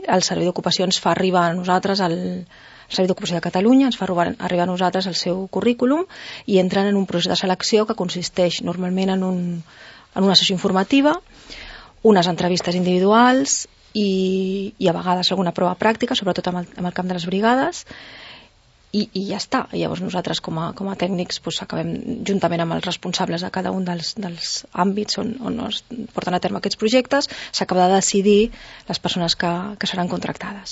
el Servei d'Ocupació ens fa arribar a nosaltres el Servei d'Ocupació de Catalunya ens fa arribar a nosaltres el seu currículum i entren en un procés de selecció que consisteix normalment en una sessió informativa, unes entrevistes individuals i a vegades alguna prova pràctica, sobretot en el camp de les brigades, i ja està. Llavors nosaltres com a tècnics acabem, juntament amb els responsables de cada un dels àmbits on es porten a terme aquests projectes, s'acaba de decidir les persones que seran contractades.